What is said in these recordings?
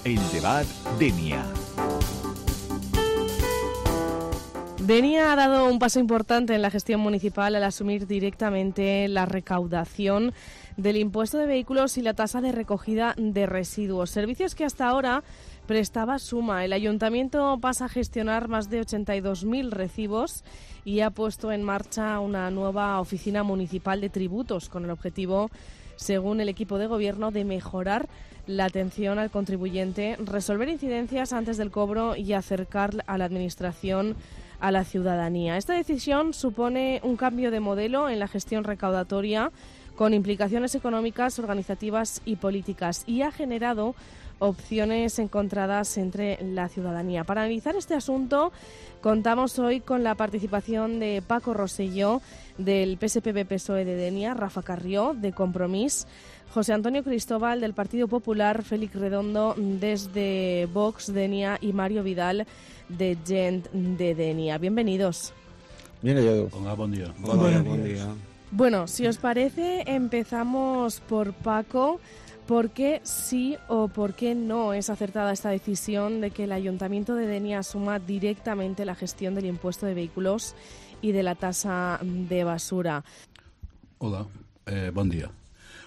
El Debat Denia. Denia ha dado un paso importante en la gestión municipal al asumir directamente la recaudación del impuesto de vehículos y la tasa de recogida de residuos, servicios que hasta ahora prestaba Suma. El ayuntamiento pasa a gestionar más de 82.000 recibos y ha puesto en marcha una nueva oficina municipal de tributos con el objetivo, según el equipo de gobierno, de mejorar la atención al contribuyente, resolver incidencias antes del cobro y acercar a la administración a la ciudadanía. Esta decisión supone un cambio de modelo en la gestión recaudatoria con implicaciones económicas, organizativas y políticas, y ha generado opciones encontradas entre la ciudadanía. Para analizar este asunto, contamos hoy con la participación de Paco Rosselló, del PSPB-PSOE de Denia, Rafa Carrió, de Compromís, José Antonio Cristóbal, del Partido Popular, Félix Redondo, desde Vox Denia, y Mario Vidal, de Gent de Denia. Bienvenidos. Bien hallado. Hola, buen día. Buen día. Bueno, si os parece, empezamos por Paco. ¿Por qué sí o por qué no es acertada esta decisión de que el Ayuntamiento de Denia asuma directamente la gestión del impuesto de vehículos y de la tasa de basura? Hola, buen día.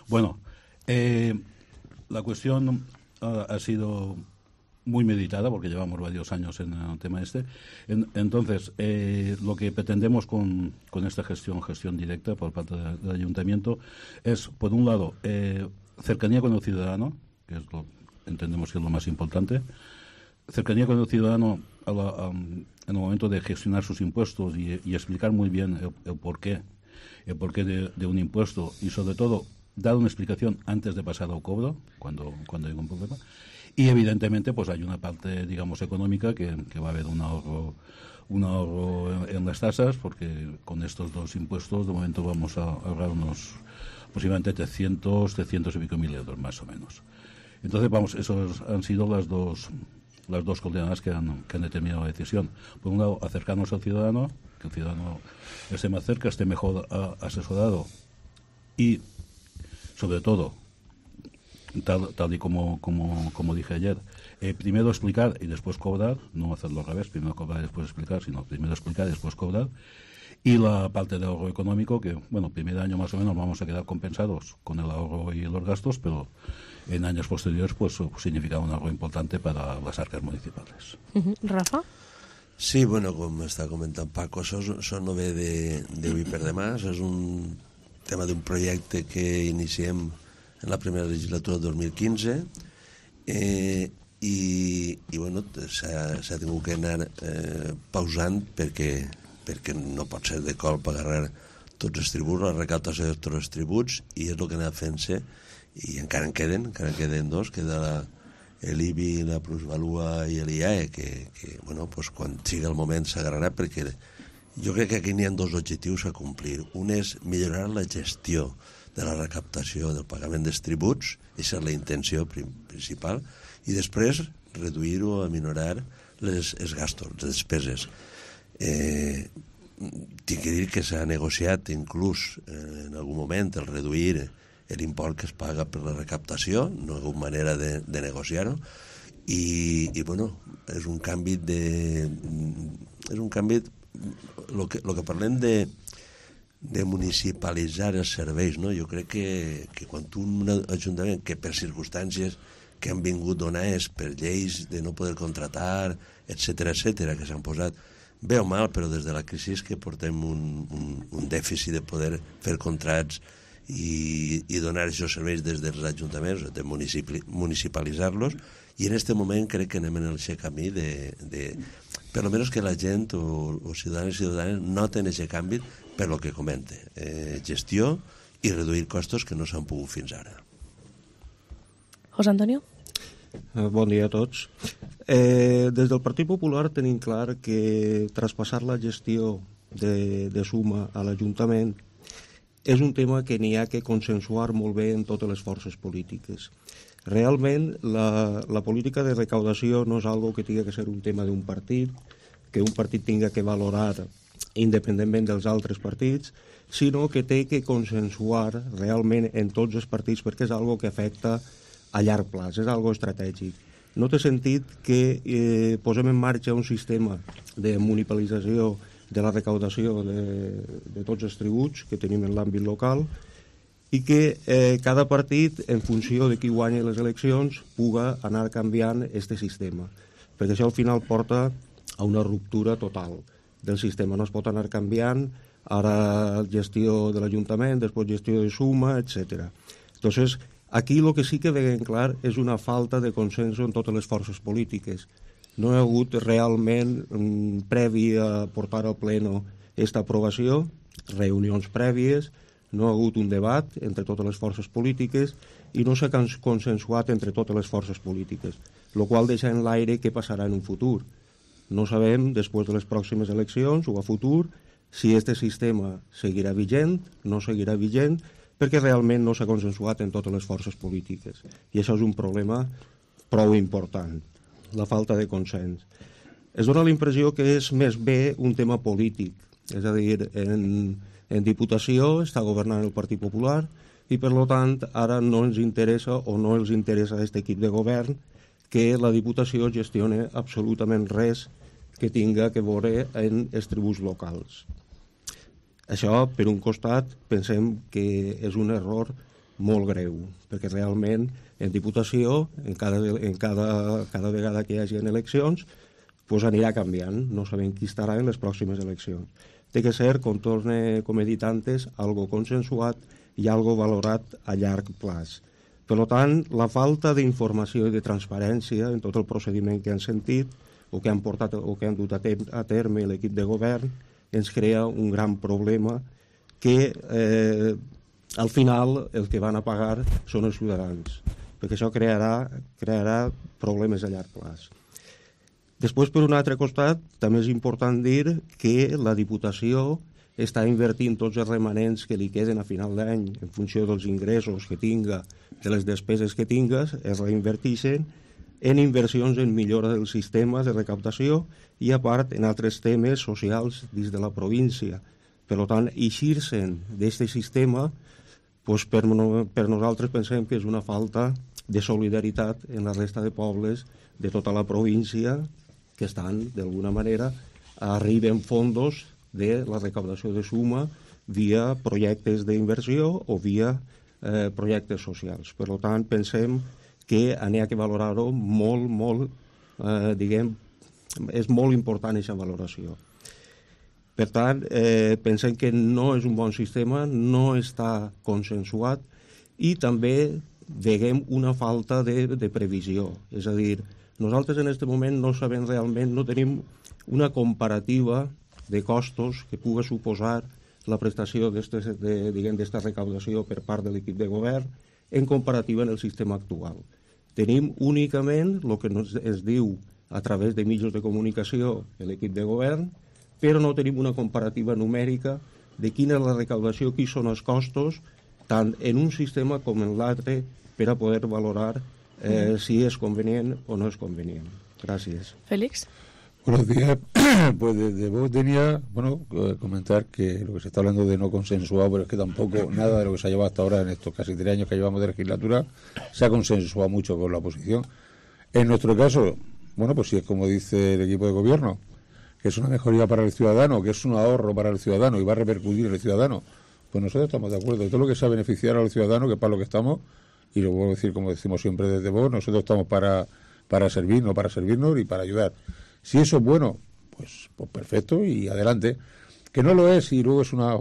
Bueno, la cuestión ha sido muy meditada porque llevamos varios años en el tema este. Entonces, lo que pretendemos con esta gestión directa por parte del Ayuntamiento es, por un lado, cercanía con el ciudadano, que es entendemos que es lo más importante. Cercanía con el ciudadano en el momento de gestionar sus impuestos y explicar muy bien el porqué de un impuesto, y sobre todo dar una explicación antes de pasar al cobro cuando hay un problema. Y evidentemente pues hay una parte, digamos, económica que va a haber un ahorro en las tasas, porque con estos dos impuestos de momento vamos a ahorrar unos aproximadamente 300 y pico mil euros más o menos. Entonces, vamos, esos han sido las dos coordenadas que han determinado la decisión. Por un lado, acercarnos al ciudadano, que el ciudadano esté más cerca, esté mejor asesorado y, sobre todo, tal y como dije ayer, primero explicar y después cobrar, no hacerlo al revés, primero cobrar y después explicar, sino primero explicar y después cobrar. Y la parte de ahorro económico, que, bueno, primer año más o menos vamos a quedar compensados con el ahorro y los gastos, pero en años posteriores pues significa un ahorro importante para las arcas municipales. Rafa? Sí, bueno, com està comentant Paco, això no ve d'avui per demà, això és un tema d'un projecte que iniciem en la primera legislatura del 2015 i bueno, s'ha tingut que anar pausant perquè no pot ser de cop agarrar tots els tributs, la recaptació de tots els tributs, i és el que ha anat fent-se, i encara en queden dos, queda l'IBI, la plusvalua i l'IAE, que bueno, pues, quan sigui el moment s'agarrarà, perquè jo crec que aquí n'hi ha dos objectius a complir. Un és millorar la gestió de la recaptació del pagament dels tributs, aquesta és la intenció principal, i després reduir o aminorar els gastos, les despeses. Tinc que dir que s'ha negociat inclús en algun moment el reduir l'import que es paga per la recaptació, no hi ha hagut manera de negociar-ho, i bueno, és un canvi el que parlem de municipalitzar els serveis, no? Jo crec que quan un ajuntament que per circumstàncies que han vingut donades per lleis de no poder contratar, etcètera, que s'han posat bé o mal, però des de la crisi que portem un dèficit de poder fer contrats i donar aquests serveis des dels ajuntaments, de municipalitzar-los, i en aquest moment crec que anem en el camí de per almenys que la gent o ciutadans i ciutadanes noten aquest canvi per lo que comente, gestió i reduir costos que no s'han pogut fins ara. José Antonio? Bon dia a tots. Des del Partit Popular tenim clar que traspassar la gestió de Suma a l'Ajuntament és un tema que n'hi ha que consensuar molt bé en totes les forces polítiques. Realment, la política de recaudació no és algo que tingui que ser un tema d'un partit, que un partit tinga que valorar independentment dels altres partits, sinó que té que consensuar realment en tots els partits, perquè és algo que afecta a llarg plaç, és algo estratègic. no té sentit que posem en marxa un sistema de municipalització de la recaudació de tots els tributs que tenim en l'àmbit local i que cada partit, en funció de qui guanya les eleccions, puga anar canviant aquest sistema. Perquè això al final porta a una ruptura total del sistema. No es pot anar canviant, ara gestió de l'Ajuntament, després gestió de suma, etc. Entonces, aquí el que sí que veiem clar és una falta de consens en totes les forces polítiques. No hi ha hagut realment, previ a portar al pleno aquesta aprovació, reunions prèvies, no ha hagut un debat entre totes les forces polítiques i no s'ha consensuat entre totes les forces polítiques, el qual deixa en l'aire què passarà en un futur. No sabem, després de les pròximes eleccions o a futur, si aquest sistema seguirà vigent, no seguirà vigent, perquè realment no s'ha consensuat en totes les forces polítiques. I això és un problema prou important, la falta de consens. Es dona la impressió que és més bé un tema polític, és a dir, en Diputació està governant el Partit Popular i, per tant, ara no ens interessa o no els interessa a aquest equip de govern que la Diputació gestione absolutament res que tinga que veure en els tributs locals. Això, per un costat, pensem que és un error molt greu, perquè realment en Diputació, cada vegada que hi hagi eleccions, pues anirà canviant, no sabem qui estarà en les pròximes eleccions. Té que ser, com he dit antes, algo consensuat i algo valorat a llarg plaç. Per tant, la falta d'informació i de transparència en tot el procediment que han sentit o que han portat o que han dut a terme l'equip de govern ens crea un gran problema que al final el que van a pagar són els ciutadans, perquè això crearà problemes a llarg plaç. Després, per un altre costat, també és important dir que la Diputació està invertint tots els remanents que li queden a final d'any en funció dels ingressos que tinga, de les despeses que tingues, es reinverteixen en inversions en millora del sistema de recaptació i, a part, en altres temes socials dins de la província. Per tant, eixir-se'n d'aquest sistema, doncs per nosaltres pensem que és una falta de solidaritat en la resta de pobles de tota la província que estan, d'alguna manera, arriben fondos de la recaptació de suma via projectes d'inversió o via projectes socials. Per tant, pensem que n'hi ha que valorar-ho molt, és molt important aquesta valoració. Per tant, pensem que no és un bon sistema, no està consensuat i també veiem una falta de previsió. És a dir, nosaltres en aquest moment no sabem realment, no tenim una comparativa de costos que pugui suposar la prestació d'esta recaudació per part de l'equip de govern en comparativa en el sistema actual. Tenim únicament el que es diu a través de mitjans de comunicació l'equip de govern, però no tenim una comparativa numèrica de quina és la recaudació, quins són els costos, tant en un sistema com en l'altre, per a poder valorar si es convenient o no es convenient. Gracias. Félix. Buenos días. Pues de vos tenía, comentar que lo que se está hablando de no consensuado, pero es que tampoco nada de lo que se ha llevado hasta ahora en estos casi 3 años que llevamos de legislatura se ha consensuado mucho con la oposición. En nuestro caso, pues si es como dice el equipo de gobierno, que es una mejoría para el ciudadano, que es un ahorro para el ciudadano y va a repercutir en el ciudadano, pues nosotros estamos de acuerdo. Todo lo que sea beneficiar al ciudadano, que es para lo que estamos, y lo vuelvo a decir como decimos siempre desde vos, nosotros estamos para servir, no para servirnos y para ayudar. Si eso es bueno, pues perfecto y adelante. Que no lo es y luego es una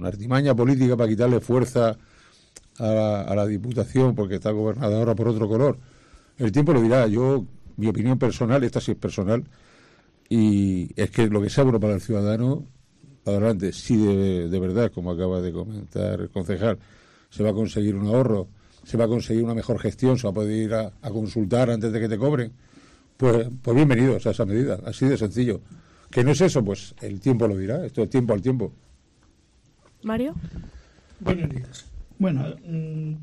artimaña política para quitarle fuerza a la Diputación porque está gobernada ahora por otro color. El tiempo lo dirá. Mi opinión personal, esta sí es personal, y es que lo que sea bueno para el ciudadano, para adelante. Si de verdad, como acaba de comentar el concejal, se va a conseguir un ahorro, se va a conseguir una mejor gestión, se va a poder ir a consultar antes de que te cobren, pues bienvenidos a esa medida, así de sencillo. Que no es eso, pues el tiempo lo dirá, esto es tiempo al tiempo. Mario. Buenos días. Bueno,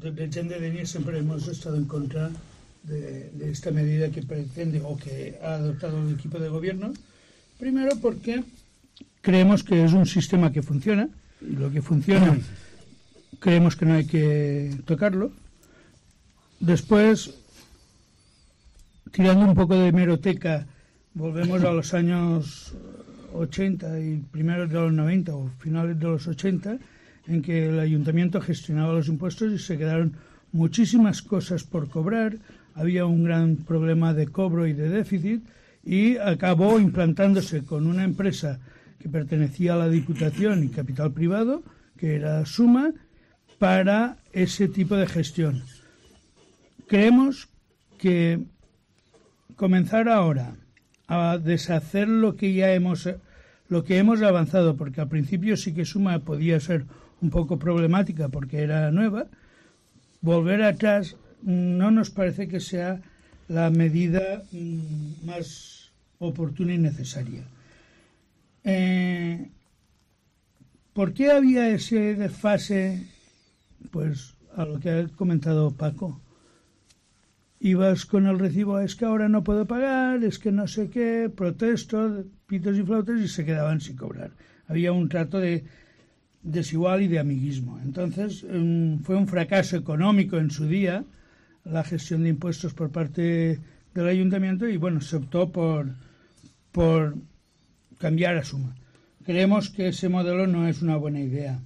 desde Gent de Denia siempre hemos estado en contra de esta medida que pretende o que ha adoptado el equipo de gobierno. Primero porque creemos que es un sistema que funciona, y lo que funciona creemos que no hay que tocarlo. Después, tirando un poco de hemeroteca, volvemos a los años 80 y primeros de los 90 o finales de los 80, en que el ayuntamiento gestionaba los impuestos y se quedaron muchísimas cosas por cobrar, había un gran problema de cobro y de déficit, y acabó implantándose con una empresa que pertenecía a la Diputación y capital privado, que era Suma, para ese tipo de gestión. Creemos que comenzar ahora a deshacer lo que hemos avanzado, porque al principio sí que Suma podía ser un poco problemática porque era nueva, volver atrás no nos parece que sea la medida más oportuna y necesaria. ¿Por qué había ese desfase? Pues a lo que ha comentado Paco. Ibas con el recibo, es que ahora no puedo pagar, es que no sé qué, protesto, pitos y flautas, y se quedaban sin cobrar. Había un trato de desigual y de amiguismo. Entonces fue un fracaso económico en su día la gestión de impuestos por parte del ayuntamiento, y bueno, se optó por cambiar a Suma. Creemos que ese modelo no es una buena idea.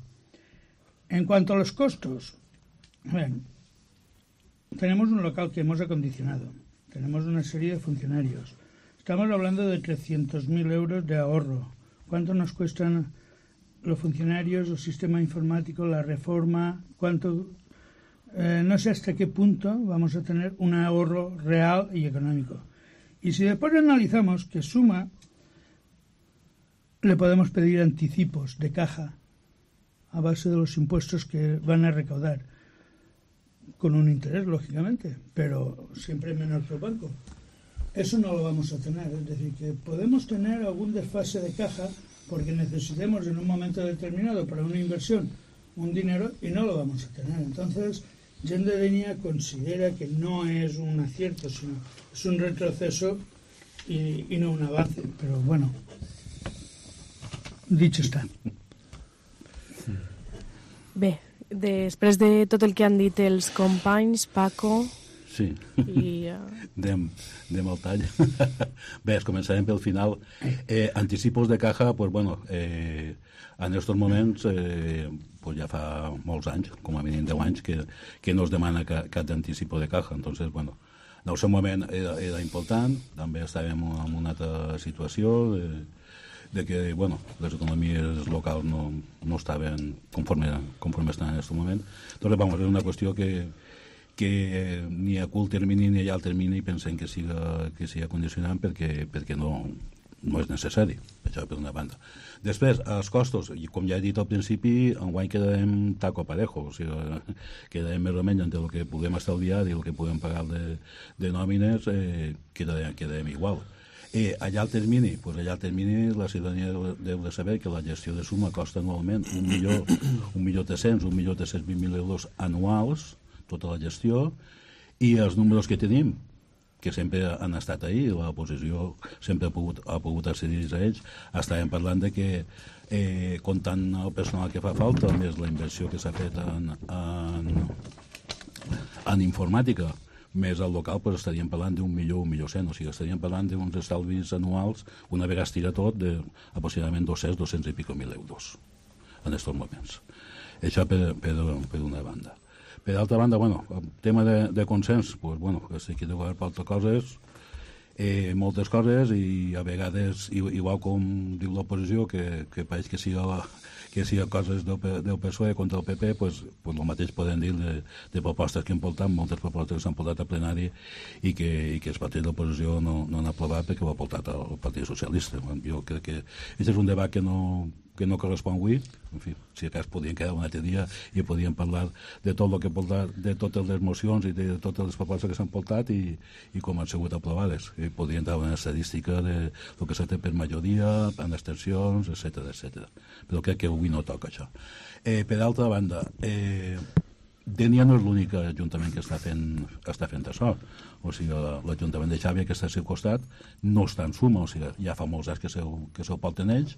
En cuanto a los costos, bueno, tenemos un local que hemos acondicionado, tenemos una serie de funcionarios, estamos hablando de 300.000 euros de ahorro. ¿Cuánto nos cuestan los funcionarios, el sistema informático, la reforma? ¿Cuánto? No sé hasta qué punto vamos a tener un ahorro real y económico. Y si después analizamos que Suma le podemos pedir anticipos de caja a base de los impuestos que van a recaudar, con un interés, lógicamente, pero siempre menor que el banco. Eso no lo vamos a tener, es decir, que podemos tener algún desfase de caja porque necesitemos en un momento determinado para una inversión un dinero y no lo vamos a tener. Entonces, Gent de Dénia considera que no es un acierto, sino es un retroceso y no un avance. Pero bueno, dicho està. Bé, després de tot el que han dit els companys, Paco... Sí, anem al tall. Bé, començarem pel final. Anticipos de caja, pues bueno, en estos moments, pues ja fa molts anys, com a mínim 10 anys, que no es demana cap anticipo de caja. Entonces, bueno, en el seu moment era important, també estàvem en una altra situació de que, bueno, les economies locals no estaven conforme estan en aquest moment. Entonces, vamos, és una qüestió que ni a curt termini ni a llarg termini pensem que siga condicionant perquè no és necessari, això per una banda. Després, els costos, i com ja he dit al principi, enguany quedarem taco parejo, o sigui, quedarem més o menys entre el que puguem estalviar i el que puguem pagar de nòmines, quedarem igual. A llarg termini, la ciutadania deu de saber que la gestió de Suma costa anualment 1.320.000 euros anuals, tota la gestió, i els números que tenim, que sempre han estat ahí, l'oposició sempre ha pogut accedir a ells, estàvem parlant de que comptant el personal que fa falta, més la inversió que s'ha fet en informàtica, més el local, pues estaríem parlant d'1 milió, 1.100.000, o sigui, estaríem parlant d'uns estalvis anuals, una vegada es tira tot, de aproximadament 200 i pico mil euros en aquests moments. Això per una banda. Per altra banda, bueno, el tema de consens, pues, bueno, estic aquí de govern per altres coses, moltes coses, i a vegades, igual com diu l'oposició, que pareix que siga coses del PSOE contra el PP, pues el mateix podem dir de propostes que hem portat, moltes propostes que s'han portat a plenari i que els partits d'oposició no han aprovat perquè ho ha portat el Partit Socialista. Jo crec que aquest és un debat que no correspon avui. En fi, si acas podien quedar un altre dia i podien parlar de tot el que portat, de totes les mocions i de totes les propostes que s'han portat i com han sigut aprovades. I podien dar una estadística de lo que s'ha fet per majoria, en extensions, etc. Però crec que avui no toca això. Per altra banda, Dénia no és l'únic ajuntament que està fent això. O sigui, l'Ajuntament de Xàbia, que està al seu costat, no està en Suma, o sigui, ja fa molts anys que se'l porten ells,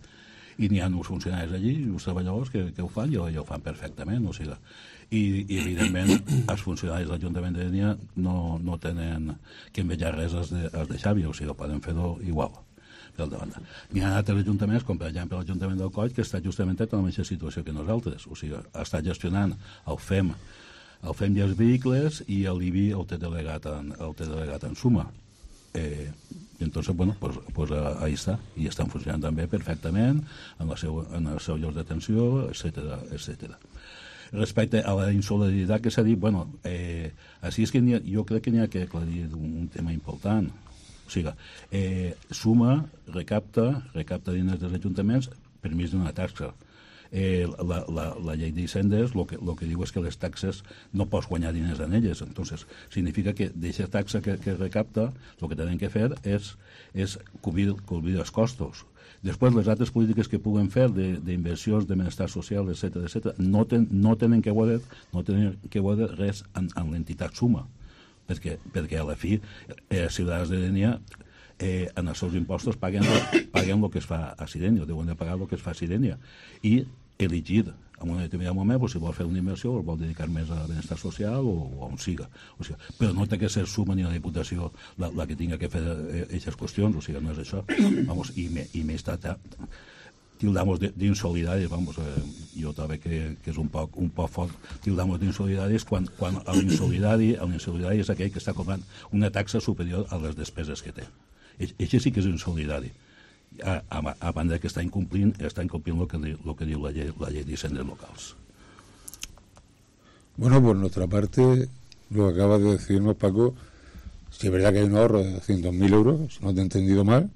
i n'hi ha uns funcionaris allí, uns treballadors que ho fan i ho fan perfectament, o sigui, i evidentment els funcionaris de l'Ajuntament de Dénia no tenen que envejar res als de Xavi, o sigui, poden fer-ho igual. N'hi ha altres ajuntaments, com per exemple l'Ajuntament del Coll, que està justament en la mateixa situació que nosaltres, o sigui, està gestionant el FEM i els vehicles i l'IBI el té delegat en suma. Entonces, bueno, pues ahí està, i estan funcionant també perfectament en el seu lloc d'atenció, etc. Respecte a la insolidaritat que s'ha dit, bueno, així és que jo crec que n'hi ha que aclarir un tema important. O sigui, suma, recapta diners dels ajuntaments per mig d'una taxa. La llei d'Hisendes el que diu és que les taxes no pots guanyar diners en elles. Entonces, significa que d'aquesta taxa que recapta el que tenen que fer és cobrir els costos. Després, les altres polítiques que puguen fer d'inversions, de benestar social, etc., no tenen que veure res en l'entitat suma, perquè a la fi els ciutadans de Dénia en els seus impostos paguen el que es fa a Sirenia, deuen de pagar el que es fa a Sirenia, i elegir en un determinat moment si vol fer una inversió o vol dedicar més a benestar social o on siga. O sigui, però no té que ser suma ni la Diputació la que tinga que fer aquestes qüestions, o sigui, no és això. Vamos, i més tildamos d'insolidarios, vamos, jo també que és un poc fort, tildamos d'insolidarios quan l'insolidari és aquell que està cobrant una taxa superior a les despeses que té. Això sí que és insolidari. A banda que està incomplint lo que diu la llei d'Hisendes locals. Bueno, por nuestra parte, lo que acaba de decirnos Paco, si es verdad que hay un ahorro de 200.000 euros, si no te he entendido mal.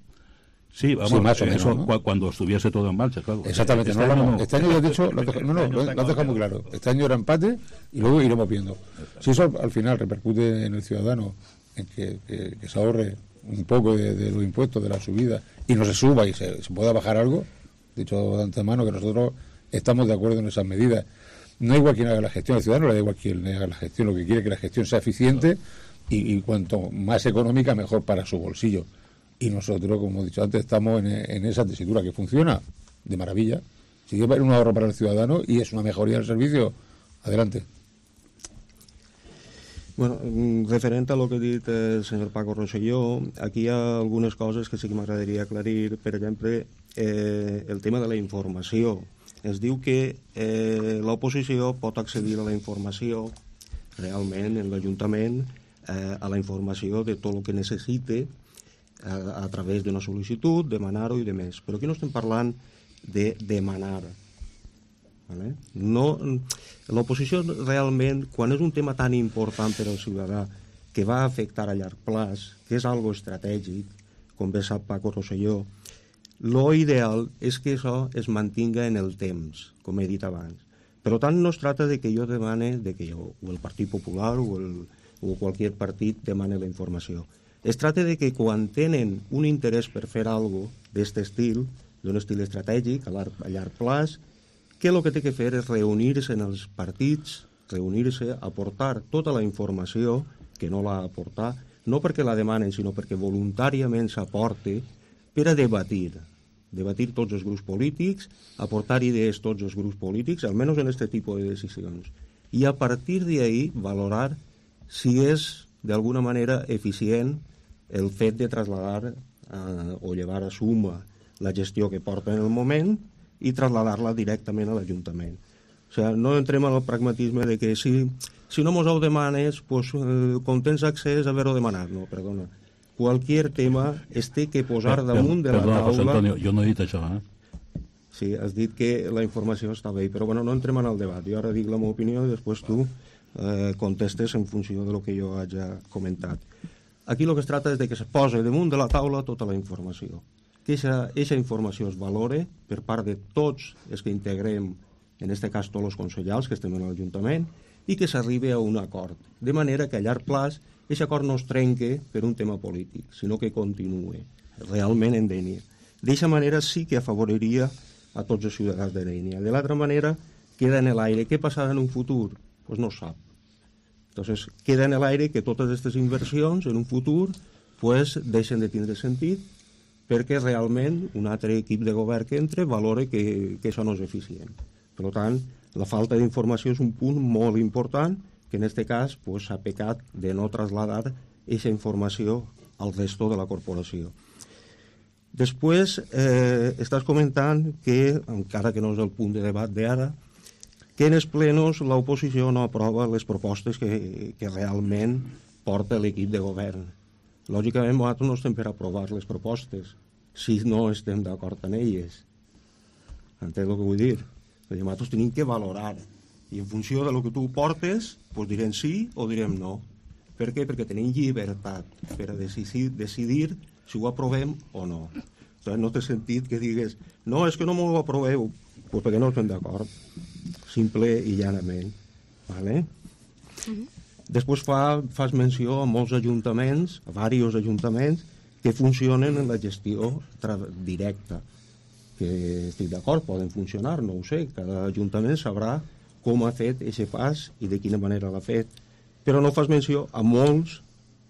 Sí, vamos, sí, más o menos, eso ¿no? Cuando estuviese todo en marcha, claro. Exactamente, este año lo has dicho, lo has dejado muy claro. Este año era empate y luego iremos viendo. Si eso al final repercute en el ciudadano, en que se ahorre un poco de los impuestos, de la subida, y no se suba y se pueda bajar algo, dicho de antemano que nosotros estamos de acuerdo en esas medidas. No hay igual quien haga la gestión, al ciudadano le da igual quien haga la gestión, lo que quiere es que la gestión sea eficiente y cuanto más económica mejor para su bolsillo. Y nosotros, como he dicho antes, estamos en esa tesitura que funciona de maravilla. Si quiere un ahorro para el ciudadano y es una mejoría del servicio, adelante. Bueno, referent a lo que ha dit el senyor Paco Rosselló, aquí hi ha algunes coses que sí que m'agradaria aclarir. Per exemple, el tema de la informació. Es diu que l'oposició pot accedir a la informació realment en l'Ajuntament, a la informació de tot el que necessite a través d'una sol·licitud, demanar-ho i demés. Però aquí no estem parlant de demanar. ¿Vale? No, l'oposició realment, quan és un tema tan important per al ciutadà que va afectar a llarg plaç, que és algo estratègic, com bé sap Paco Rosselló, lo ideal és que això es mantinga en el temps, com he dit abans. Per tant, no es tracta de que jo demane, de que jo, o el Partit Popular o qualsevol partit demane la informació. Es tracta de que quan tenen un interès per fer alguna cosa d'aquest estil, d'un estil estratègic a llarg plaç, que el que té que fer és reunir-se en els partits, reunir-se, aportar tota la informació que no l'ha aportat, no perquè la demanen, sinó perquè voluntàriament s'aporte per a debatir tots els grups polítics, aportar idees tots els grups polítics, almenys en aquest tipus de decisions. I a partir d'ahí valorar si és d'alguna manera eficient el fet de traslladar o llevar a suma la gestió que porta en el moment i traslladar-la directament a l'Ajuntament. O sigui, no entrem en el pragmatisme de que si no mos ho demanes, pues, com tens accés a haver-ho demanat. No, perdona. Qualsevol tema es té que posar damunt de la taula... José Antonio, jo no he dit això, Sí, has dit que la informació està bé, però bueno, no entrem en el debat. Jo ara dic la meva opinió i després tu contestes en funció de lo que jo haig comentat. Aquí el que es tracta és de que se posa damunt de la taula tota la informació. Que aquesta informació es valore per part de tots els que integrem, en aquest cas tots els consellers que estem en l'Ajuntament, i que s'arribi a un acord, de manera que a llarg plaç aquest acord no es trenque per un tema polític, sinó que continuï realment en Dénia. D'aquesta manera sí que afavoriria a tots els ciutadans de Dénia. De l'altra manera, queda en l'aire. Què passarà en un futur? Pues no sap. Entonces, queda en l'aire que totes aquestes inversions en un futur pues deixen de tindre sentit perquè realment un altre equip de govern que entra valora que això no és eficient. Per tant, la falta d'informació és un punt molt important que en aquest cas s'ha pecat de no traslladar aquesta informació al resto de la corporació. Després, estàs comentant que, encara que no és el punt de debat d'ara, que en els plenos l'oposició no aprova les propostes que realment porta l'equip de govern. Lògicament, nosaltres no estem per aprovar les propostes si no estem d'acord amb elles. Entens el que vull dir? Nosaltres tenim que valorar i en funció de lo que tu portes direm sí o direm no. Per què? Perquè tenim llibertat per a decidir si ho aprovem o no. No té sentit que digues no, és que no m'ho aproveu, perquè no estem d'acord. Simple i llanament. Vale? Després fas menció a molts ajuntaments, a diversos ajuntaments, que funcionen en la gestió directa. Que estic d'acord, poden funcionar, no ho sé. Cada ajuntament sabrà com ha fet aquest pas i de quina manera l'ha fet. Però no fas menció a molts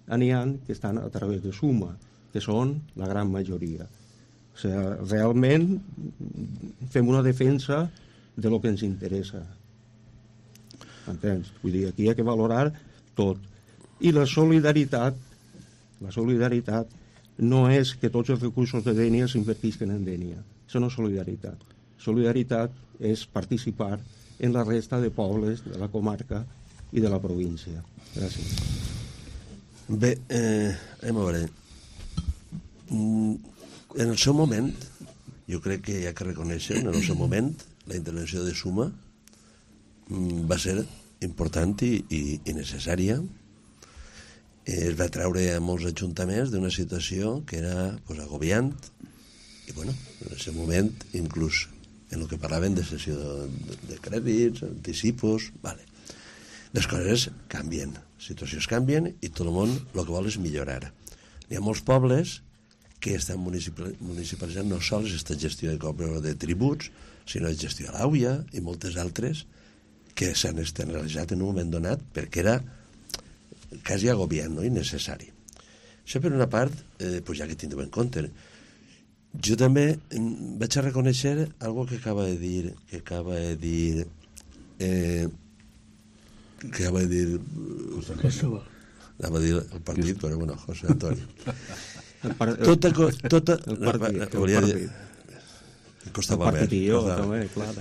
n'hi ha que estan a través de Suma, que són la gran majoria. O sigui, realment fem una defensa de lo que ens interessa. Entens? Vull dir, aquí hi ha que valorar tot. I la solidaritat no és que tots els recursos de Dénia s'invertisquen en Dénia. Això no és solidaritat. Solidaritat és participar en la resta de pobles de la comarca i de la província. Gràcies. Bé, anem a veure. En el seu moment, jo crec que hi ha que reconèixer, en el seu moment, la intervenció de Suma va ser important i necessària. Es va treure a molts ajuntaments d'una situació que era agobiant i, bueno, en el seu moment, inclús en el que parlaven de cessió de crèdits, anticipos, vale. Les coses canvien, les situacions canvien i tot el món el que vol és millorar. Hi ha molts pobles que estan municipalitzant no sols aquesta gestió de tributs, sinó de gestió a l'AUIA i moltes altres que s'han externalitzat en un moment donat perquè era quasi agobiant, no? I necessari. Això per una part, ja que tindrem en compte. Jo també vaig a reconèixer algo que acaba de dir anava a dir el partit, però bueno, José Antonio. El partit. Costava més.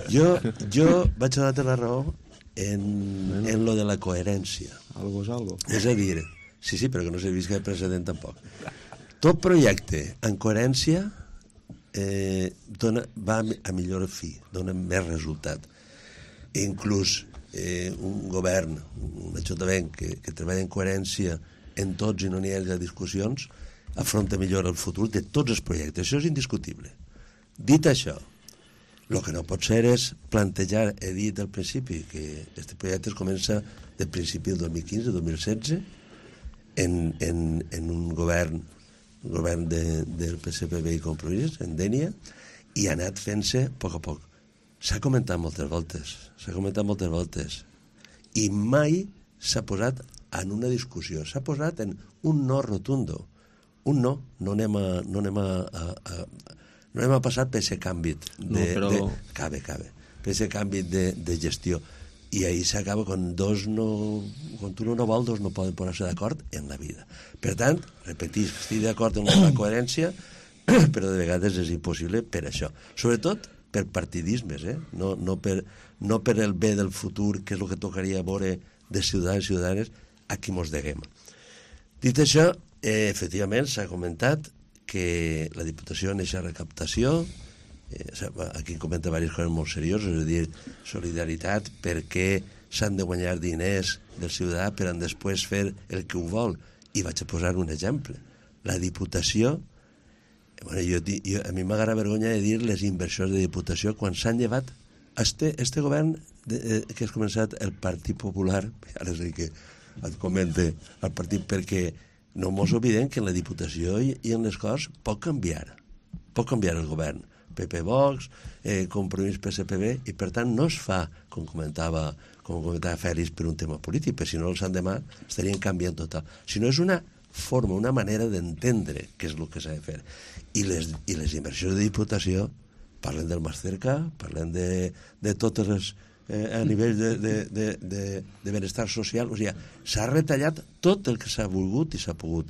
Jo vaig a donar la raó en lo de la coherència. Algo és algo. És a dir, sí, però que no s'ha vist cap precedent tampoc. Tot projecte en coherència va a millor fi, dona més resultat. Inclús un govern, un ajuntament que treballa en coherència en tots i no n'hi ha discussions, afronta millor el futur de tots els projectes. Això és indiscutible. Dit això, el que no pot ser és plantejar, he dit al principi, que aquest projecte comença del principi del 2015-2016 en un govern del PSPB i Compromís, en Dénia, i ha anat fent-se a poc a poc. S'ha comentat moltes voltes, i mai s'ha posat en una discussió, s'ha posat en un no rotundo. Un no anem a passar per aquest canvi per aquest canvi de gestió. I ahir s'acaba quan un no vol, dos no poden posar-se d'acord en la vida. Per tant, repetir, estic d'acord amb la coherència, però de vegades és impossible per això. Sobretot per partidismes, no per el bé del futur, que és el que tocaria veure de ciutadans i ciutadanes a qui mos deguem. Dit això, efectivament s'ha comentat que la Diputació en aquesta recaptació, aquí comenta diverses coses molt serioses, és a dir, solidaritat perquè s'han de guanyar diners del ciutadà per a després fer el que ho vol. I vaig a posar un exemple. La Diputació, a mi m'agrada vergonya de dir les inversions de Diputació quan s'han llevat este govern que has començat el Partit Popular, ara sé que et comente el partit, perquè no mos oblidem que en la Diputació i en les coses pot canviar el govern, PP Vox, Compromís PSPB, i per tant no es fa, com comentava Fèlix, per un tema polític, perquè si no els endemà estarien canviant total, sinó és una forma, una manera d'entendre què és el que s'ha de fer. I les inversions de Diputació, parlen del Masterca, parlen de totes les... a nivell de benestar social, o sigui, s'ha retallat tot el que s'ha volgut i s'ha pogut.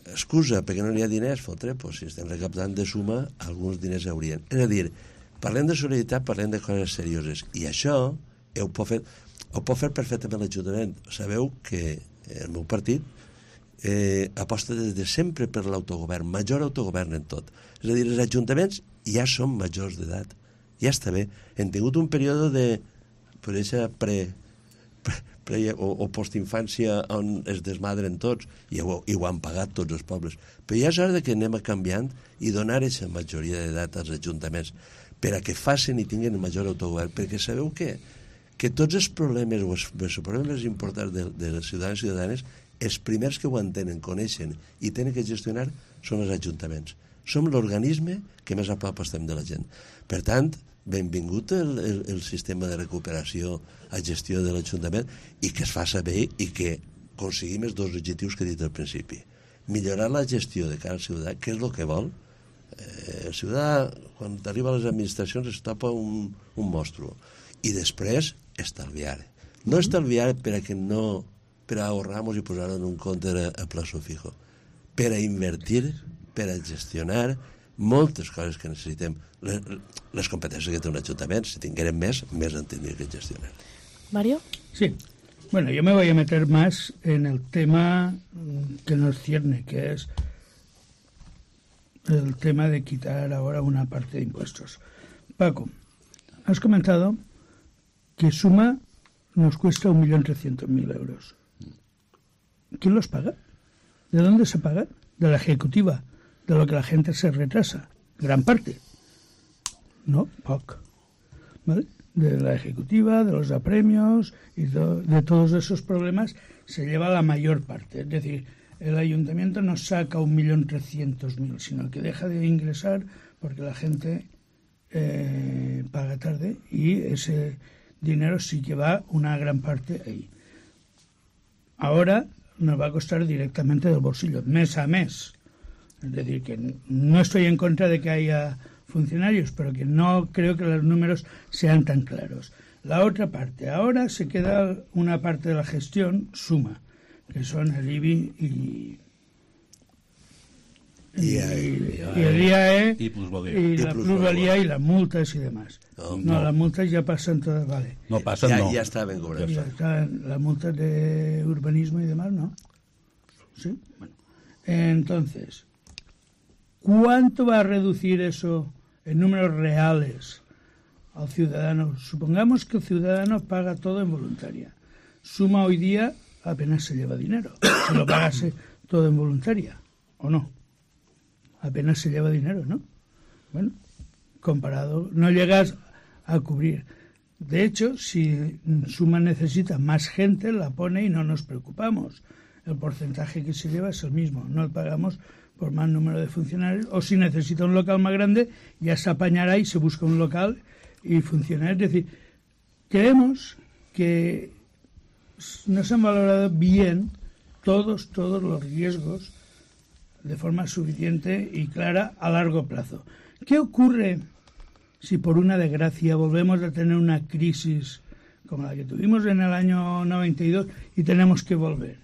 Excusa, perquè no hi ha diners, fotre, pues, si estem recaptant de suma, alguns diners haurien. És a dir, parlem de solidaritat, parlem de coses serioses, i això ho pot fer perfectament l'Ajuntament. Sabeu que el meu partit aposta des de sempre per l'autogovern, major autogovern en tot. És a dir, els ajuntaments ja són majors d'edat, ja està bé. Hem tingut un període de o postinfància on es desmadren tots i ho han pagat tots els pobles. Però ja és hora que anem canviant i donar aquesta majoria d'edat als ajuntaments per a que facin i tinguin el major autogovern, perquè sabeu què? Que tots els problemes o els problemes importants de les ciutadans i ciutadanes, els primers que ho entenen, coneixen i tenen que gestionar són els ajuntaments. Som l'organisme que més a prop estem de la gent. Per tant, benvingut el sistema de recuperació a gestió de l'Ajuntament i que es faci bé i que aconseguim els dos objectius que he dit al principi. Millorar la gestió de cara al ciutadà, que és el que vol. El ciutadà, quan arriba a les administracions, es topa un monstru. I després, estalviar. No estalviar per a ahorrar-nos i posar-ho en un compte a plazo fijo. Per a invertir, per a gestionar moltes coses que necessitem. Les competències que té un ajuntament, si tinguérem més en tindria que gestionar. Mario? Sí. Bueno, yo me voy a meter más en el tema que nos cierne, que es el tema de quitar ahora una parte de impuestos. Paco, has comentado que Suma nos cuesta 1.300.000 euros. ¿Quién los paga? ¿De dónde se pagan? De la ejecutiva, de lo que la gente se retrasa. Gran parte. No, poc. ¿Vale? De la ejecutiva, de los apremios y de todos esos problemas se lleva la mayor parte. Es decir, el ayuntamiento no saca 1.300.000, sino que deja de ingresar porque la gente paga tarde y ese dinero sí que va una gran parte ahí. Ahora nos va a costar directamente del bolsillo, mes a mes. Es decir, que no estoy en contra de que haya funcionarios, pero que no creo que los números sean tan claros. La otra parte, ahora se queda una parte de la gestión Suma, que son el IBI y el IAE y la plusvalía y las multas y demás. No, las multas ya pasan todas, vale. No pasan, no. Ya estaban cobradas. Ya están las multas de urbanismo y demás, ¿no? Sí, bueno. Entonces, ¿cuánto va a reducir eso en números reales al ciudadano? Supongamos que el ciudadano paga todo en voluntaria. Suma hoy día apenas se lleva dinero. Si lo pagase todo en voluntaria, ¿o no? Apenas se lleva dinero, ¿no? Bueno, comparado, no llegas a cubrir. De hecho, si Suma necesita más gente, la pone y no nos preocupamos. El porcentaje que se lleva es el mismo. No pagamos por más número de funcionarios, o si necesita un local más grande, ya se apañará y se busca un local y funciona. Es decir, creemos que no se han valorado bien todos los riesgos de forma suficiente y clara a largo plazo. ¿Qué ocurre si por una desgracia volvemos a tener una crisis como la que tuvimos en el año 92 y tenemos que volver?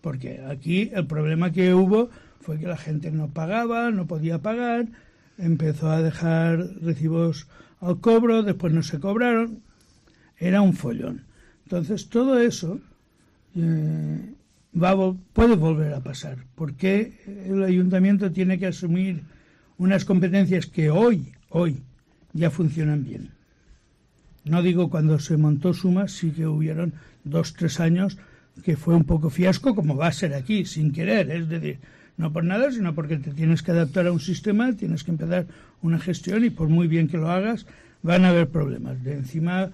Porque aquí el problema que hubo fue que la gente no pagaba, no podía pagar, empezó a dejar recibos al cobro, después no se cobraron, era un follón. Entonces todo eso puede volver a pasar, porque el ayuntamiento tiene que asumir unas competencias que hoy ya funcionan bien. No digo cuando se montó Suma, sí que hubieron 2-3 años que fue un poco fiasco, como va a ser aquí, sin querer, es decir, no por nada, sino porque te tienes que adaptar a un sistema, tienes que empezar una gestión y por muy bien que lo hagas, van a haber problemas. De encima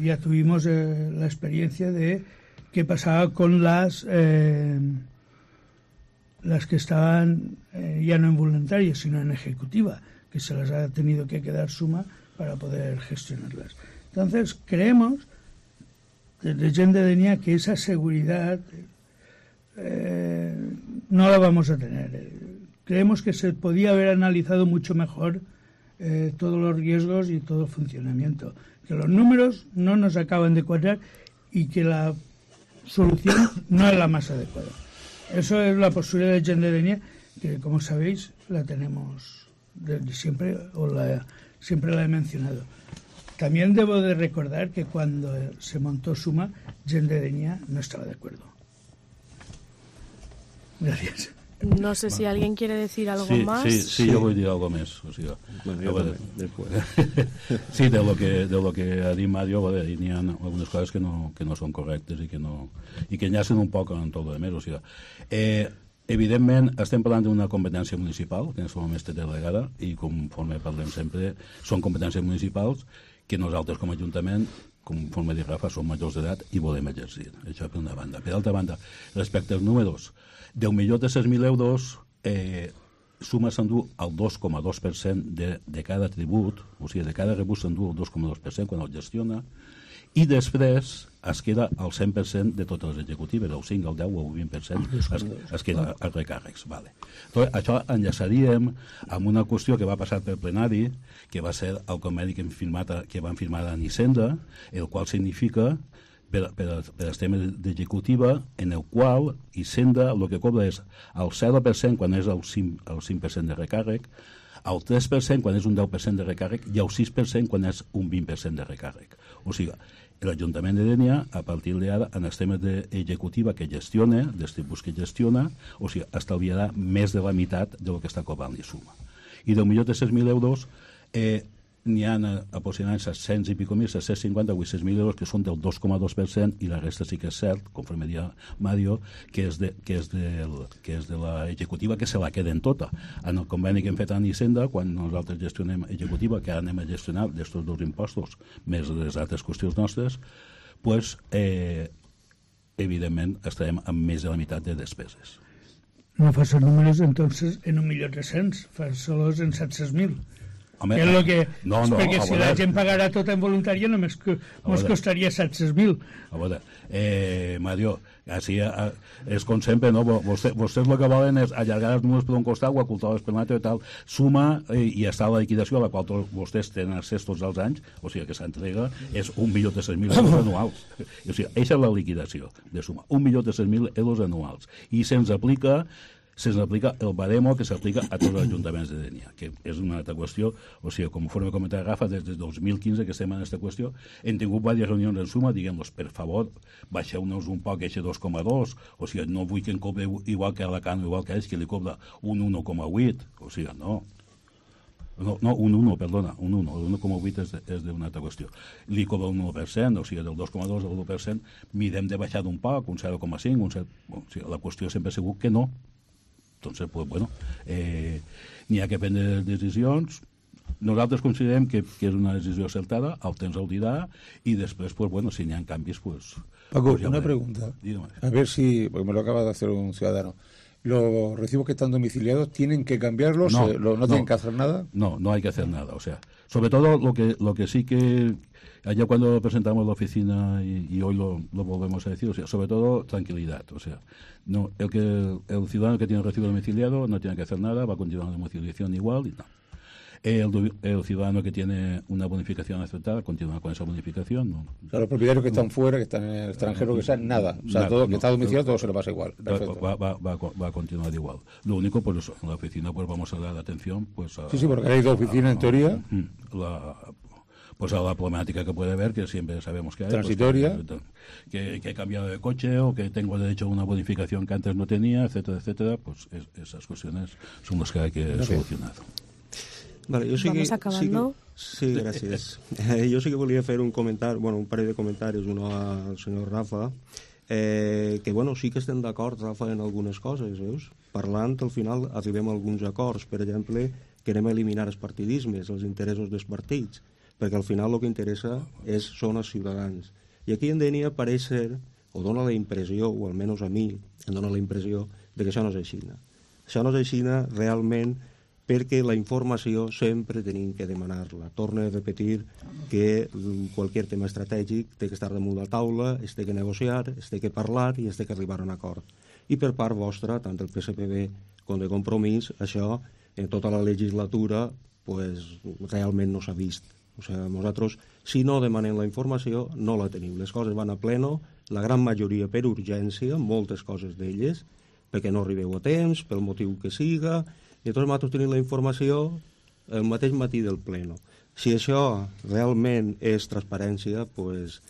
ya tuvimos la experiencia de qué pasaba con las que estaban ya no en voluntaria, sino en ejecutiva, que se las ha tenido que quedar Suma para poder gestionarlas. Entonces, creemos desde Gent de Denia que esa seguridad no la vamos a tener. Creemos que se podía haber analizado mucho mejor todos los riesgos y todo el funcionamiento. Que los números no nos acaban de cuadrar y que la solución no es la más adecuada. Eso es la postura de Gent de Dénia, que como sabéis la tenemos desde siempre, siempre la he mencionado. También debo de recordar que cuando se montó Suma, Gent de Dénia no estaba de acuerdo. Gracias. No sé si alguien quiere decir algo más. Sí, yo voy a decir algo más. O sea, después. Sí, de lo que ha dit Mario, hi ha algunes coses que no són correctes i que enllacen un poc en tot el més. O sigui, evidentment, estem parlant d'una competència municipal, que en aquest moment té delegada, i conforme parlem sempre, són competències municipals que nosaltres com a Ajuntament, conforme dic Rafa, som majors d'edat i volem exercir. Això per una banda. Per altra banda, respecte als números, 10.600.000 euros, Suma s'endú el 2,2% de cada tribut, o sigui, de cada rebut s'endú el 2,2% quan el gestiona, i després es queda el 100% de totes les executives, el 5, el 10 o el 20% es queda als recàrrecs. Vale. Entonces, això enllaçaríem amb una qüestió que va passar pel plenari, que va ser el conveni que van firmar a Hisenda, el qual significa per als temes d'executiva, en el qual Hisenda el que cobra és el 0% quan és el 5% de recàrrec, el 3% quan és un 10% de recàrrec i el 6% quan és un 20% de recàrrec. O sigui, l'Ajuntament de Dénia, a partir d'ara, en els temes d'executiva que gestiona, dels tributs que gestiona, o sigui, estalviarà més de la meitat del que està cobrant Suma. I de 1.300.000 euros n'hi ha aproximadament 700 i pico mil, 750 o 800.000 euros que són del 2,2% i la resta sí que és cert, conforme dia Mario, que és de l'executiva que se la queden tota. En el conveni que hem fet a Hisenda, quan nosaltres gestionem executiva, que ara anem a gestionar d'estos dos impostos més les altres qüestions nostres, pues, evidentment estarem amb més de la meitat de despeses. No fas els números entonces en 1.300.000, fas solos en 700.000. Home, que és el que... No, perquè si la gent pagarà tot en voluntària només ens costaria 700.000. A veure, Mario, així és com sempre, no? Vostès el que volen és allargar els números per un costat o ocultar les per l'altre i tal. Suma i està la liquidació a la qual vostès tenen accés tots els anys, o sigui que s'entrega, és 1.300.000 euros anuals. O sigui, aquesta és la liquidació de Suma, 1.300.000 euros anuals. I se'ns aplica el baremo que s'aplica a tots els ajuntaments de Dénia, que és una altra qüestió. O sigui, conforme comentava Rafa, des de 2015 que estem en aquesta qüestió, hem tingut diverses reunions en Suma, diguem-los, per favor, baixeu-nos un poc aquest 2,2, o sigui, no vull que em cobre igual que Alacant o igual que ells, que li cobra un 1,8, o sigui, no, un 1, perdona, un 1, el 1,8 és d'una altra qüestió. Li cobra un 1%, o sigui, del 2,2 al 1%, mirem de baixar d'un poc, un 0,5, o sigui, la qüestió sempre ha sigut que no. Entonces, pues bueno, n'hi ha que prendre decisions. Nosaltres considerem que és una decisió acertada, el temps el dirà, y después, pues bueno, si n'hi ha canvis, pues... Paco, pues una pregunta. Dígame. A ver si, porque me lo acaba de hacer un ciudadano. ¿Los recibos que están domiciliados tienen que cambiarlos? ¿No tienen que hacer nada? No hay que hacer nada. O sea, sobre todo lo que sí que... Allá cuando presentamos la oficina y hoy lo volvemos a decir, o sea, sobre todo tranquilidad. O sea, no, el ciudadano que tiene recibo domiciliado no tiene que hacer nada, va a continuar la domiciliación igual y no. El ciudadano que tiene una bonificación aceptada continúa con esa bonificación. No. O sea, los propietarios que están fuera, que están en el extranjero, que sean nada. O sea, nada, todo que está domiciliado, todo se le pasa igual. Va a continuar igual. Lo único, pues eso, en la oficina pues vamos a dar atención. Pues sí, porque hay dos oficinas en teoría. Pues a la problemática que puede haber, que siempre sabemos que hay. Transitoria. Pues, que he cambiado de coche o que tengo derecho a una bonificación que antes no tenía, etcétera, etcétera. Pues esas cuestiones son las que hay que solucionar. Vale, Vamos acabando. Sí, gràcies. Jo sí que volia fer un comentari, un parell de comentaris, un al senyor Rafa, que sí que estem d'acord, Rafa, en algunes coses, veus? Parlant, al final arribem a alguns acords, per exemple, que anem a eliminar els partidismes, els interessos dels partits, perquè al final el que interessa són els ciutadans. I aquí en Dénia pareix ser, o dona la impressió, o almenys a mi em dona la impressió, de que això no és així. Això no és així realment, perquè la informació sempre tenim que demanar-la. Torno a repetir que qualsevol tema estratègic té que estar damunt la taula, es té que negociar, es té que parlar i es té que arribar a un acord. i per part vostra, tant del PSPB com de Compromís, això en tota la legislatura pues, realment no s'ha vist. O sigui, nosaltres, si no demanem la informació, no la tenim. Les coses van a pleno, la gran majoria per urgència, moltes coses d'elles, perquè no arribeu a temps, pel motiu que siga, i tots nosaltres tenim la informació el mateix matí del pleno. Si això realment és transparència, pues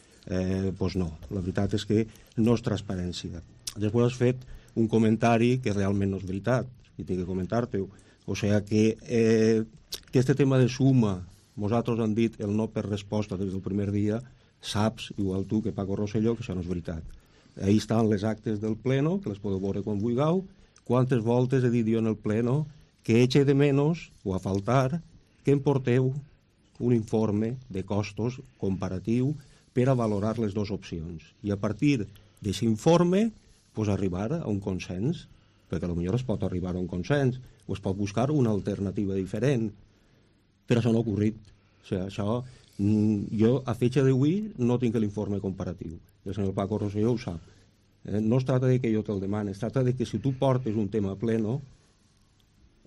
no. La veritat és que no és transparència. Després has fet un comentari que realment no és veritat, i tinc que comentar-te-ho. O sigui que aquest tema de suma, nosaltres han dit el no per resposta des del primer dia, saps, igual tu que Paco Rosselló, que això no és veritat. Ahí estan les actes del pleno, que les podeu veure quan vulgueu. Quantes voltes he dit jo en el pleno que eche de menos, o a faltar, que em porteu un informe de costos comparatiu per a valorar les dues opcions. I a partir d'aquest informe, pues, arribar a un consens, perquè potser es pot arribar a un consens, o es pot buscar una alternativa diferent. Però això no ha ocorrit. O sigui, això, jo a fecha d'avui no tinc l'informe comparatiu. El senyor Paco Rosselló ho sap. No es tracta de que jo te'l demani, es tracta de que si tu portes un tema a pleno,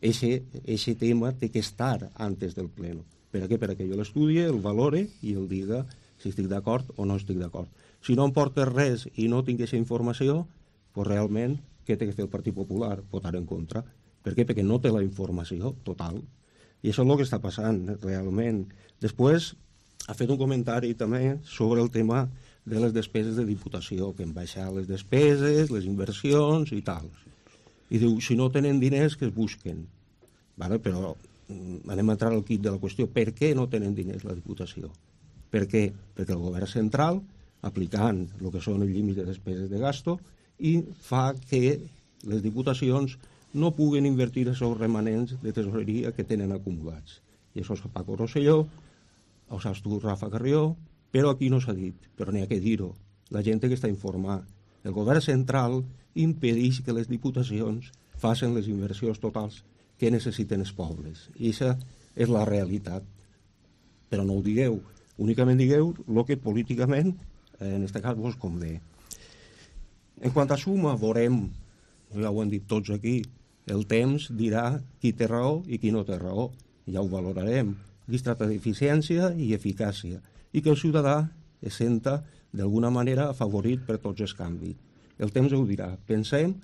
ese tema té que estar antes del pleno. Per què? Perquè jo l'estudie, el valore i el diga si estic d'acord o no estic d'acord. Si no em portes res i no tinc aquesta informació, pues realment, què té que fer el Partit Popular? Votar en contra. Per què? Perquè no té la informació total. I això és el que està passant, realment. Després, ha fet un comentari també sobre el tema de les despeses de diputació, que han baixat les despeses, les inversions i tal. I diu, si no tenen diners, que es busquen. Vale? Però anem a entrar al quid de la qüestió. Per què no tenen diners la diputació? Per què? Perquè el govern central, aplicant el que són els límits de despeses de gasto, i fa que les diputacions no puguen invertir els seus remanents de tesoreria que tenen acumulats. I això és Paco Rosselló, ho saps tu, Rafa Carrió, però aquí no s'ha dit, però n'hi ha que dir-ho. La gent que està informada. El govern central impedeix que les diputacions facin les inversions totals que necessiten els pobles. I aquesta és la realitat. Però no ho digueu. Únicament digueu el que políticament, en aquest cas, vos convé. En quant a suma, veurem, ja ho han dit tots aquí, el temps dirà qui té raó i qui no té raó. Ja ho valorarem. Aquí es tracta d'eficiència i eficàcia, i que el ciutadà es senta d'alguna manera afavorit per tots els canvis. El temps ho dirà. Pensem,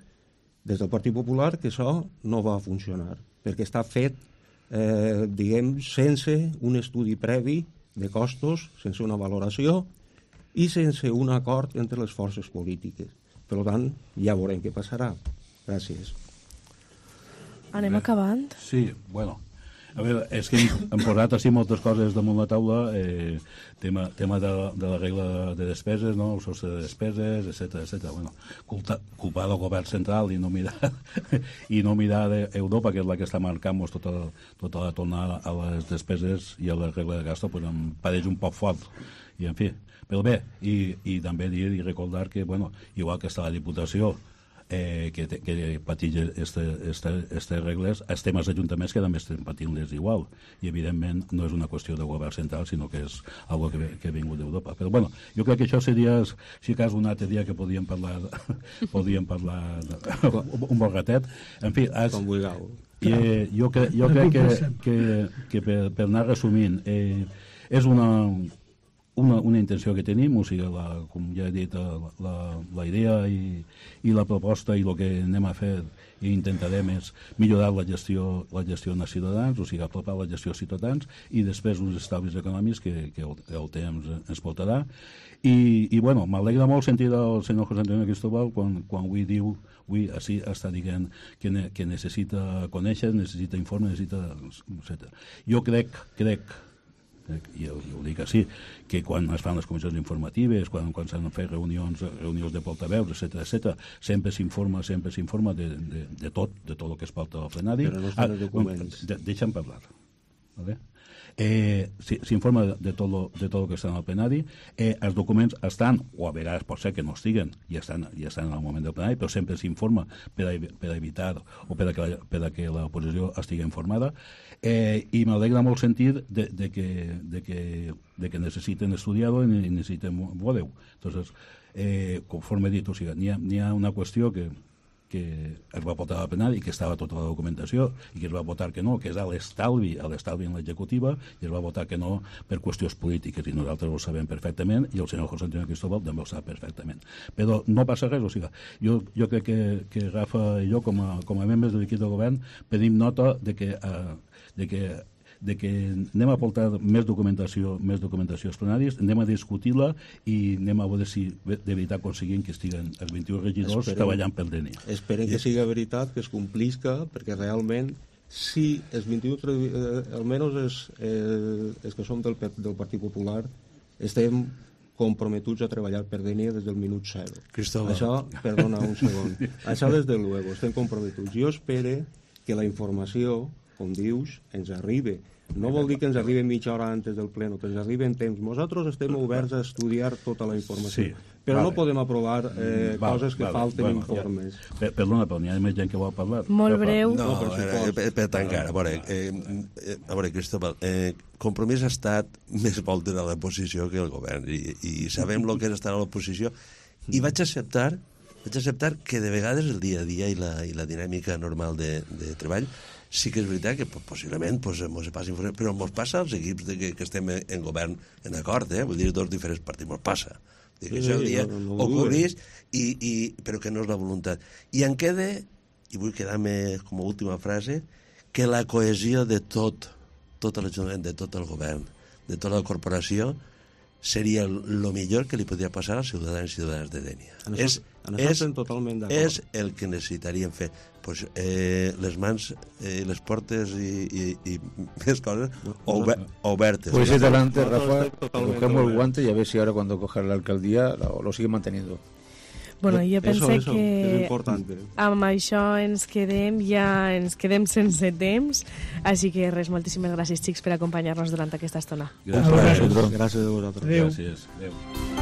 des del Partit Popular, que això no va funcionar, perquè està fet, diguem, sense un estudi previ de costos, sense una valoració i sense un acord entre les forces polítiques. Per tant, ja veurem què passarà. Gràcies. Anem acabant? Sí, bueno. A veure, és que hem posat així moltes coses damunt la taula, tema de la regla de despeses, no? El sostre de despeses, etc. Bueno, culpar del govern central i no mirar d'Europa, que és la que està marcant tota la tornada a les despeses i a la regla de gasto, pues em pareix un poc fort. I, en fi, però bé, i també dir i recordar que, bueno, igual que està la Diputació, que pateix aquestes regles, els temes d'ajuntaments que també estem patint-les igual, i evidentment no és una qüestió de govern central, sinó que és algo que ha vingut d'Europa. Però bueno, jo crec que això seria, si cas, un altre dia que podíem parlar un bon ratet. En fi, com vulgueu. Jo crec que per anar resumint, és una intenció que tenim, o sigui, com ja he dit, la idea i la proposta i el que anem a fer i intentarem és millorar la gestió als ciutadans, o sigui, apropar la gestió als ciutadans, i després uns estalvis econòmics que el temps ens portarà. I bueno, m'alegra molt sentir el senyor José Antonio Cristóbal quan avui diu, avui així està dient que necessita conèixer, necessita informe, necessita... etc. Jo crec, i ho dic així, que quan es fan les comissions informatives, quan s'han de fer reunions de portaveus, etc., sempre s'informa de tot el que es porta al plenari. Però no estan els documents. Deixa'm parlar. Vale? S'informa de tot el que està al plenari. Els documents estan, o a vegades pot ser que no estiguen, i estan al moment del plenari, però sempre s'informa per a evitar o per a que l'oposició estigui informada. I m'alegra molt sentir de que necessiten estudiar-ho i necessiten veure-ho. Entonces, conforme he dit, o sigui, n'hi ha una qüestió que es va votar a plenari i que estava tota la documentació i que es va votar que no, que és a l'estalvi en l'executiva, i es va votar que no per qüestions polítiques, i nosaltres ho sabem perfectament i el senyor José Antonio Cristóbal també ho sap perfectament. Però no passa res, o sigui, jo crec que Rafa i jo com a membres de l'equip de govern pedim nota de que anem a portar més documentació als plenaris, anem a discutir-la i anem a veure si de veritat aconseguim que estiguen els 21 regidors treballant per Dénia. Esperem que sigui veritat, que es complisca, perquè realment si els 21, almenys els que som del Partit Popular, estem comprometuts a treballar per Dénia des del minut 0. Cristóbal. Això, perdona un segon, això des de luego, estem comprometuts. Jo espero que la informació, com dius, ens arribi. No vol dir que ens arribi mitja hora antes del pleno, que ens arribi en temps. Nosaltres estem oberts a estudiar tota la informació, però no podem aprovar coses que falten informes. Perdona, però n'hi ha més gent que vol parlar. Molt breu. No, per tancar, a veure, Cristóbal, Compromís ha estat més voltes a l'oposició que el govern, i sabem el que és estar a l'oposició, i vaig acceptar que de vegades el dia a dia i la dinàmica normal de treball sí que és veritat que possiblement mos passa informació, però mos passa als equips que estem en govern en acord, vull dir, dos diferents partits, mos passa. Això el dia ocorreix, però que no és la voluntat. I em queda, i vull quedar-me com a última frase, que la cohesió de tot l'Ajuntament, de tot el govern, de tota la corporació, seria el millor que li podria passar als ciutadans i ciutadanes de Dénia. És el que necessitaríem fer. Les mans, les portes i més coses obertes. Pues adelante, Rafa, cogemos el guante y a ver si ahora cuando coja la alcaldía lo sigue manteniendo. Bueno, jo penso que amb això ens quedem sense temps, així que res, moltíssimes gràcies, xics, per acompanyar-nos durant aquesta estona. Gràcies a vosaltres. Adéu. Gràcies. Adéu.